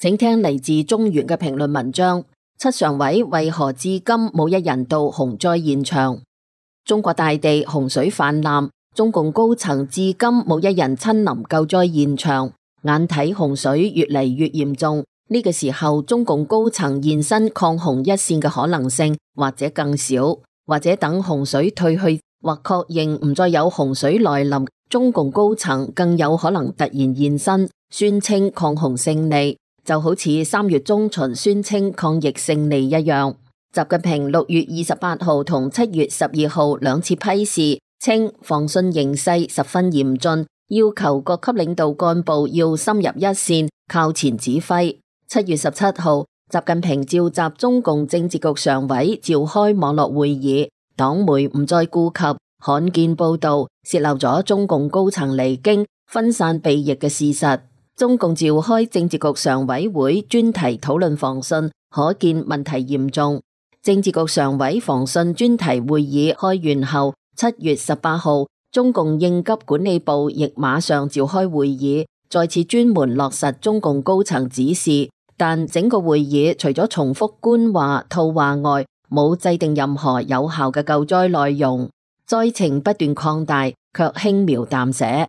請聽嚟自中原嘅評論文章：七常委為何至今冇一人到洪災現場？中國大地洪水泛濫，中共高層至今冇一人親臨救災現場。眼睇洪水越嚟越嚴重，呢個時候中共高層現身抗洪一線嘅可能性或者更少，或者等洪水退去或確認唔再有洪水來臨，中共高層更有可能突然現身，宣稱抗洪勝利。就好似3月中旬宣稱抗疫勝利一樣。習近平6月28號同7月12號兩次批示，稱防汛形勢十分嚴峻，要求各級領導幹部要深入一線，靠前指揮。7月17號，習近平召集中共政治局常委召開網絡會議，黨媒唔再顧及罕見報道，洩漏咗中共高層離京、分散避疫嘅事實。中共召開政治局常委會專題討論防汛，可見問題嚴重。政治局常委防汛專題會議開完後，7月18號，中共應急管理部亦馬上召開會議，再次專門落實中共高層指示。但整個會議除咗重複官話套話外，冇制定任何有效嘅救災內容。災情不斷擴大，卻輕描淡寫。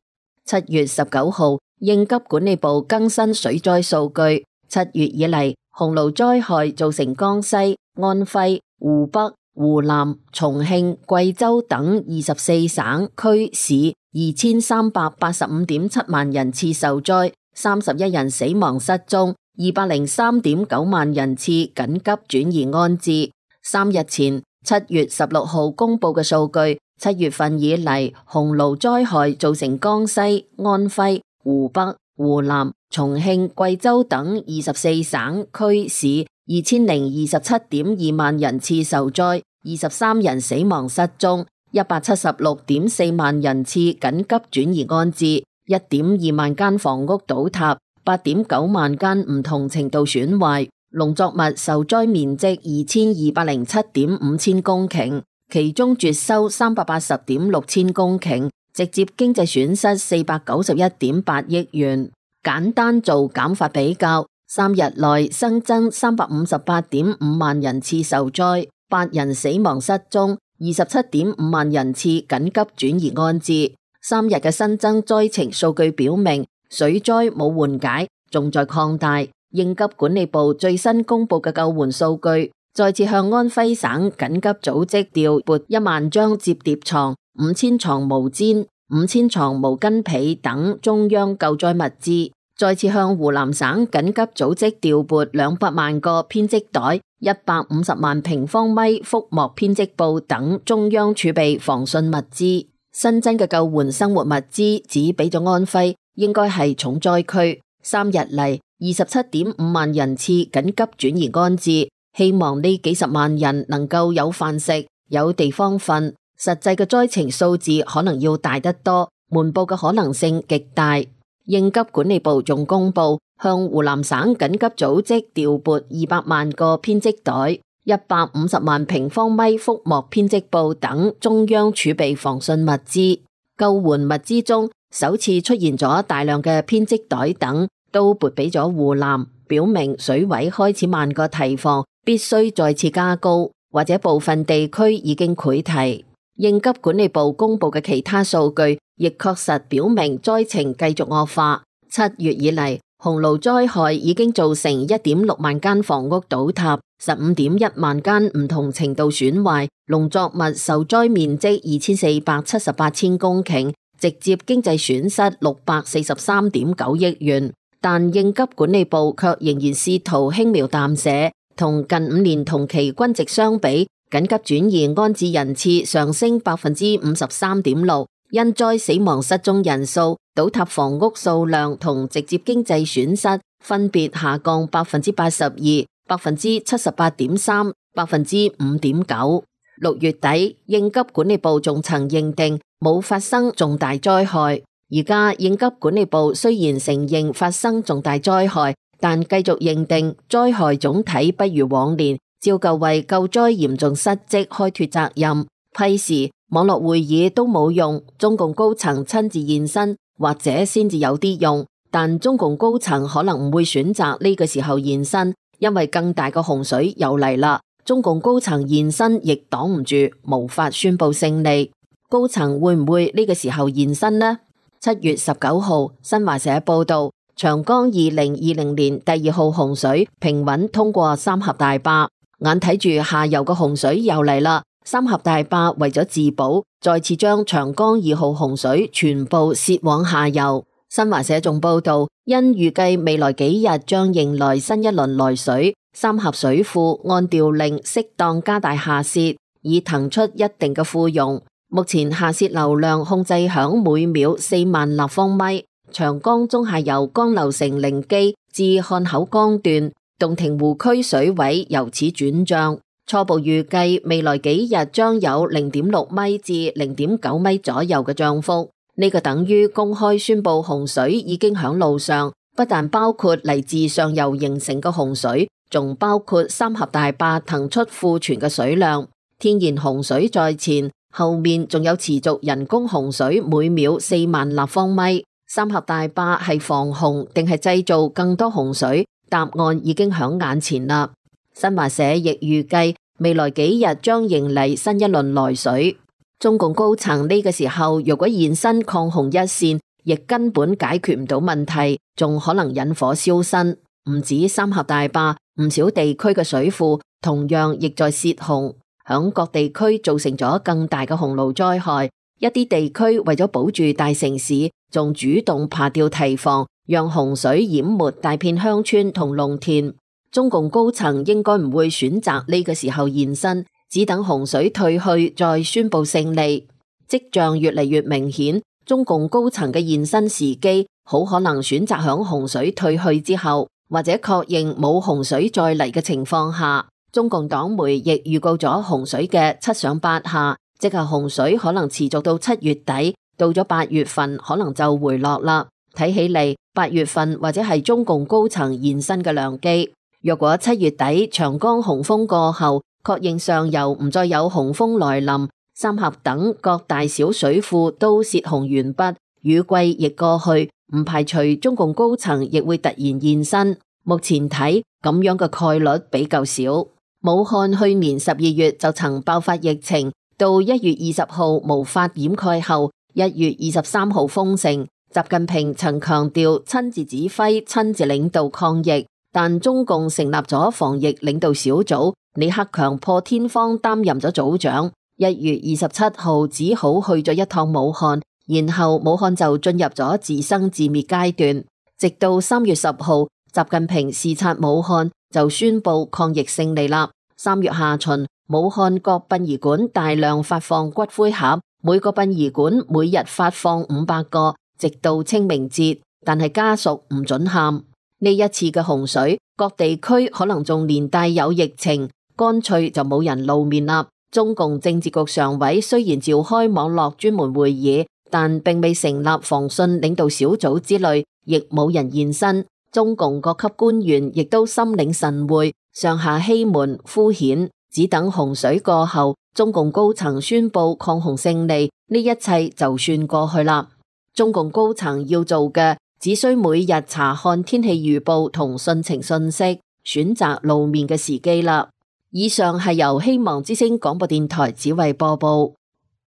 7月19號，應急管理部更新水災數據，7月以嚟，洪澇災害造成江西、安徽、湖北、湖南、重慶、貴州等24省區市2385.7萬人次受災，31人死亡失蹤，203.9萬人次緊急轉移安置。3日前7月16號公布嘅數據，7月份以嚟，洪澇災害造成江西、安徽、湖北、湖南、重慶、貴州等24省區市2027.2萬人次受災，23人死亡失蹤，176.4萬人次緊急轉移安置，1.2萬間房屋倒塌，8.9萬間唔同程度損壞，農作物受災面積2207.5千公頃，其中絕收380.6千公頃，直接經濟損失491.8億元。簡單做減法比較，3日內新增358.5萬人次受災，8人死亡失蹤，27.5萬人次緊急轉移安置。3日嘅新增災情數據表明，水災冇緩解，仲在擴大。應急管理部最新公布嘅救援數據，再次向安徽省緊急組織調撥1萬張摺疊床、5000床毛氈、5000床毛巾被等中央救災物資，再次向湖南省緊急組織調撥200萬個編織袋、150萬平方米覆膜編織布等中央儲備防汛物資。新增嘅救援生活物資只俾咗安徽，應該係重災區。3日嚟27.5萬人次緊急轉移安置，希望呢幾十萬人能夠有飯食、有地方瞓。實際嘅災情數字可能要大得多，瞞報嘅可能性極大。應急管理部仲公布向湖南省緊急組織調撥200萬個編織袋、150萬平方米覆膜編織布等中央儲備防汛物資。救援物資中首次出現咗大量嘅編織袋等，都撥俾咗湖南，表明水位開始慢過堤防，必須再次加高，或者部分地區已經潰堤。應急管理部公布嘅其他數據，亦確實表明災情繼續惡化。7月以嚟，洪澇災害已經造成1.6萬間房屋倒塌，15.1萬間唔同程度損壞，農作物受災面積2478千公頃，直接經濟損失643.9億元。但應急管理部卻仍然試圖輕描淡寫，同近5年同期均值相比，緊急轉移安置人次上升53.6%，因災死亡失蹤人數、倒塌房屋數量同直接經濟損失分別下降82%、78.3%、5.9%。6月底，應急管理部仲曾認定冇發生重大災害。而家應急管理部雖然承認發生重大災害，但繼續認定災害總體不如往年，照舊為救災嚴重失職開脫責任。批示網絡會議都冇用，中共高層親自現身或者先至有啲用。但中共高層可能唔會選擇呢個時候現身，因為更大嘅洪水又嚟啦。中共高層現身亦擋唔住，無法宣布勝利。高層會唔會呢個時候現身呢？7月19號，新華社報道，長江2020年第2號洪水平穩通過三峽大壩，眼睇住下游嘅洪水又嚟啦。三峽大壩為咗自保，再次將長江2號洪水全部洩往下游。新華社仲報道，因預計未來幾日將迎來新一輪來水，三峽水庫按調令適當加大下洩，以騰出一定嘅庫容。目前下洩流量控制響每秒4萬立方米。長江中下游江流城靈基至漢口江段，洞庭湖區水位由此轉漲，初步預計未來幾日將有0.6米至0.9米左右嘅漲幅。呢個等於公開宣布洪水已經響路上，不但包括嚟自上游形成嘅洪水，仲包括三峽大壩騰出庫存嘅水量。天然洪水在前，後面仲有持續人工洪水每秒4萬立方米。三峽大壩係防洪定係製造更多洪水？答案已經響眼前啦。新華社亦預計未來幾日將迎嚟新一輪來水。中共高層呢個時候如果現身抗洪一線，亦根本解決唔到問題，仲可能引火燒身。唔止三峽大壩，唔少地區嘅水庫同樣亦在洩洪，響各地區造成咗更大嘅洪澇災害。一啲地區為咗保住大城市，仲主動扒掉堤防，讓洪水淹沒大片鄉村同農田。中共高層應該唔會選擇呢個時候現身，只等洪水退去再宣布勝利。跡象越嚟越明顯，中共高層嘅現身時機好可能選擇響洪水退去之後，或者確認冇洪水再嚟嘅情況下。中共黨媒亦預告咗洪水嘅7上8下，即係洪水可能持續到7月底，到咗8月份可能就回落啦。睇起嚟8月份或者係中共高層現身嘅良機。若果7月底長江洪峰過後，確認上游唔再有洪峰來臨，三峽等各大小水庫都洩洪完畢，雨季亦過去，唔排除中共高層亦會突然現身。目前睇咁樣嘅概率比較少。武漢去年12月就曾爆發疫情，到1月20號無法掩蓋後，1月23號封城。習近平曾強調親自指揮、親自領導抗疫，但中共成立咗防疫領導小組，李克強破天荒擔任咗組長。1月27號只好去咗一趟武漢，然後武漢就進入咗自生自滅階段。直到3月10號，習近平視察武漢就宣布抗疫勝利啦。3月下旬，武漢各殯儀館大量發放骨灰盒，每個殯儀館每日發放500個，直到清明節，但係家屬唔准喊。呢一次嘅洪水，各地區可能仲連帶有疫情，乾脆就冇人露面啦。中共政治局常委雖然召開網絡專門會議，但並未成立防汛領導小組之類，亦冇人現身。中共各級官員亦都心領神會，上下欺瞞敷衍，只等洪水過後，中共高層宣布抗洪勝利，呢一切就算過去啦。中共高層要做嘅，只需每日查看天氣預報同汛情信息，選擇露面嘅時機啦。以上係由希望之聲廣播電台只為播報。